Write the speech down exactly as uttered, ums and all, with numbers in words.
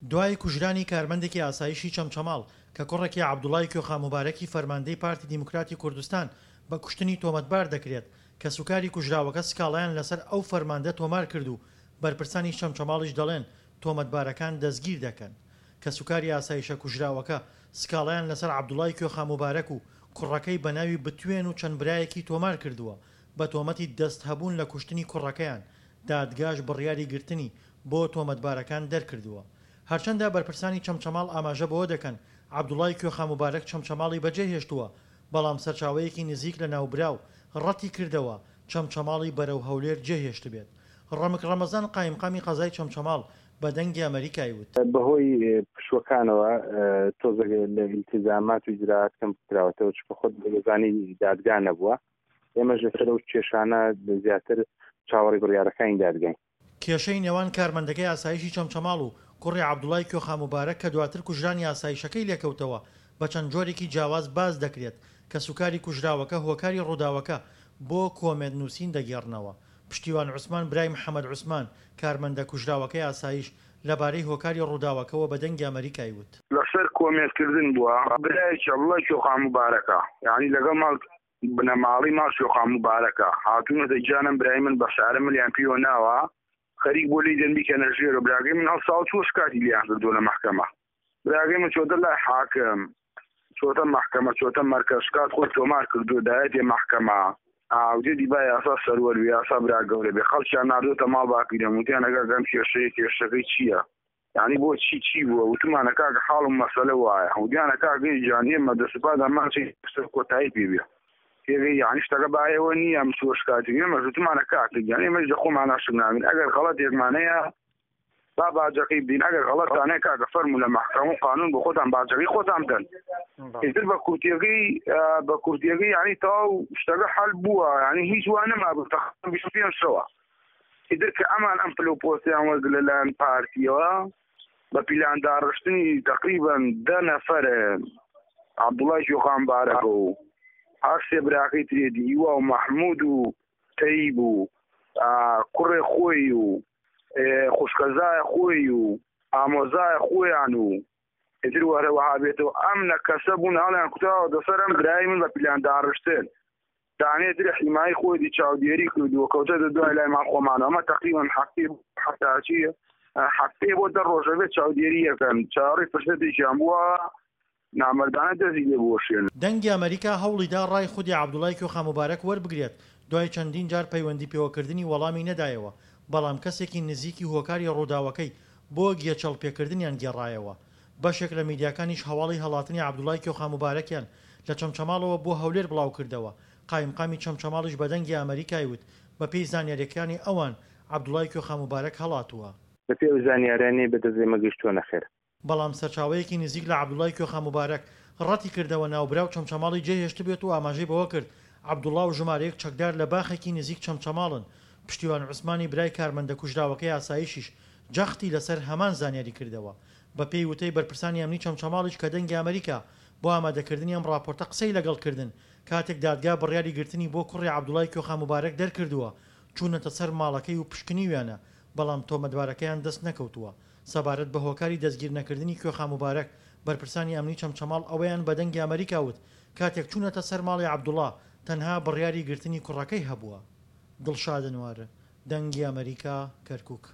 دوای کوژرانی کارمەندێکی ئاسایشی چەمچەماڵ کە کوڕێکی عەبدوڵای کوێخا موبارەکی فەرماندەی پارتی دیموکراتی کوردستان بە کوشتنی تۆمەتبار دەکرێت، کەسوکاری کوژراوەکە سکاڵایان لەسەر ئەو فەرماندە تۆمار کرد و بەرپرسانی چەمچەماڵیش دەڵێن تۆمەتبارەکان دەستگیر دەکەن. کەسوکاری ئاسایشە کوژراوەکە سکاڵایان لەسەر عەبدوڵای کوێخا موبارەک و کوڕەکەی بەناوی بتوێن و چەند برایەکی تۆمار کردووە بە تۆمەتی دەست هەبوون لە کوشتنی کوڕەکەیان، دادگاش بڕیاری گرتنی بۆ تۆمەتبارەکان دەرکردووە. هەرچەندە بەرپرسانی چەمچەماڵ ئاماژە بەوە دەکەن عەبدوڵای کوێخا موبارەک چەمچەماڵی بەجێهێشتووە، بەڵام سەرچاوەیەکی نزیک لە ناوبراو ڕەتی کردەوە چەمچەماڵی بەرەو هەولێر جێهێشتبێت. ڕەمک ڕەمەزان قایمقامی قەزای چەمچەماڵ بە دەنگی ئەمەریکای وت. بەهۆی پشووەکانەوە تۆزێک لە ئیلتیزامات و ئیجرائات کەم کراوەتەوە، چونکە خۆت دەزانی دادگا نەبووە، ئێمەش لەسەر ئەو کێشانە زیاتر چاوەڕێی بڕیارەکانی دادگاین. کێشەی نێوان کارمەندەکەی ئاسایشی چەمچەماڵ و کوڕی عەبدوڵای کوێخا موبارەک کە دواتر کوژرانی ئاسایشەکەی لێکەوتەوە بە چەند جۆرێکی جیاواز باس دەکرێت، کەسوکاری کوژراوەکە هۆکاری ڕووداوەکە بۆ کۆمێنت نووسین دەگێڕنەوە. پشتیوان عوسمان برای محەمەد عوسمان، کارمەندە کوژراوەکەی ئاسایش، لەبارەی هۆکاری ڕووداوەکەوە بە دەنگی ئەمەریکای وت. لەسەر کۆمێنت کردن بووە، برایەکی عەبدوڵای کوێخا موبارەکە، یانی لەگەڵ ماڵ بنەماڵەی ماڵ کوێخا موبارەکە هاتوونەتە گیانم برای من بە سارە ملیان پێوە ناوە، خەریک بۆ لێی دەن بیکەنە ژێرەوە. براگەی من هەڵساوە چووە شکاتی لێیان کردووە لە مەحکەمە. براگەی من چۆتە لای حاکم، چۆتە مەحکەمە، چۆتە مەرکەز، شکات خۆی تۆمار کردووە، دایەتێ مەحکەمە. ئاودێ با یاسا سەروەر بێ، یاسا برا گەورە بێ. خەڵکیان ناردۆتە ماڵ باپیرەم، وتیان ئەگەر گەم کێشەیە، کێشەکەی چییە؟ یعنی بۆ چی چی بووە؟ وتمانە کاکە حاڵ و مەسەلە وایە. وتیانە کاکە گیان ئێمە دەسوپادا ماچی سەر کۆتایی پێ بێ. تێگەی یعنی شتەکە بایەوە نییە، ئەم چووە شکاتی. ئێمەش وتمانە کاکە گیان ئێمەش لە خۆمان عاشق نابین، ئەگەر غەڵەتێکمان هەیە با باجەکەی بدەین، ئەگەر غەڵەتان هەیە کاکە فەرموو لە مەحکەمە و قانون بۆ خۆتان باجەکەی خۆتان بدەن. ئیتر بە کورتیەکەی بە کورتیەکەی یعنی تەواو شتەکە حەل بووە، یعنی هیچ وا نەمابوو تەقریباً بیست و پێنج شەوە. ئیتر کە ئەمان ئەم پلە و پۆستیان وەرگرت لەلایەن پارتیەوە بە پیلان داڕشتنی تەقریباً دە نەفەر عەبدوڵای کوێخان بارەکە و هەر سێ براکەی ترێتی هیوا و مەحموود و تەیب و کوڕێ خۆی و خوشکەزای خۆی و ئامۆزای خۆیان و ئیتر وەرەوەها بێتەوە ئەم نە کەسە بوون هەڵیان کوتاوە دەسەر ئەم برای من بە پیلان داڕشتن. دانێ تر حیمای خۆی دی چاودێری کردووە، کەوتە دە دوای لای ماڵ خۆمانەوە. ئەمە تەقریباً هەفتەی هەفتاچی هەفتەی بۆ دە ڕۆژە بێت چاودێری یەکەن، چاوەڕێی فرسەتێکیان بووە نامەردانە دەستی لێ بوەشێن. دەنگی ئەمەریکا هەوڵیدا ڕای خودی عەبدوڵای کوێخا موبارەک وەربگرێت، دوای چەندین جار پەیوەندی پێوەکردنی وەڵامی نەدایەوە، بەڵام کەسێکی نزیکی هۆکاری ڕووداوەکەی بۆ گێچەڵ پێکردنیان گێڕایەوە. بەشێک لە میدیاکانیش هەواڵی هەڵاتنی عەبدوڵای کوێخا موبارەکیان لە چەمچەماڵەوە بۆ هەولێر بڵاوکردەوە. قایمقامی چەمچەماڵیش بە دەنگی ئەمەریکای وت، بەپێی زانیارییەکانی ئەوان عەبدوڵای کوێخا موبارەک هەڵاتووە. بەپێی ئەو زانیاریانەی بەدەست ئێمە گەیشتووە نەخێر. بەڵام سەرچاوەیەکی نزیک لە عەبدوڵای کوێخا موبارەک ڕەتی کردەوە ناوبراو چەمچەماڵی جێهێشتبێت و ئاماژەی بەوە کرد عەبدوڵا و ژمارەیەک چەکدار لە باخێکی نزیک چەمچەماڵن. پشتیوان عوسمانی برای کارمەندە کوژراوەکەی ئاسایشیش جەختی لەسەر هەمان زانیاری کردەوە. بەپێی وتەی بەرپرسانی ئەمنی چەمچەماڵیش کە دەنگی ئەمریکا بۆ ئامادەکردنی ئەم ڕاپۆرتە قسەی لەگەڵ کردن، کاتێک دادگا بڕیاری گرتنی بۆ کوڕی عەبدوڵای کوێخا موبارەک دەرکردووە، چوونەتە سەر ماڵەکەی و پشکنیویانە، بەڵام تۆمەتبارەکەیان دەست نەکەوتووە. سەبارەت بە هۆکاری دەستگیرنەکردنی کوێخا موبارەک، بەرپرسانی ئەمنی چەمچەماڵ ئەوەیان بە دەنگی ئەمریکا وت، کاتێک چوونەتە سەر ماڵی عەبدوڵا تەنها بڕیاری گرتنی کوڕەکەی هەبووە. دڵشاد ئەنوەر، دەنگی ئەمریکا، کەرکوک.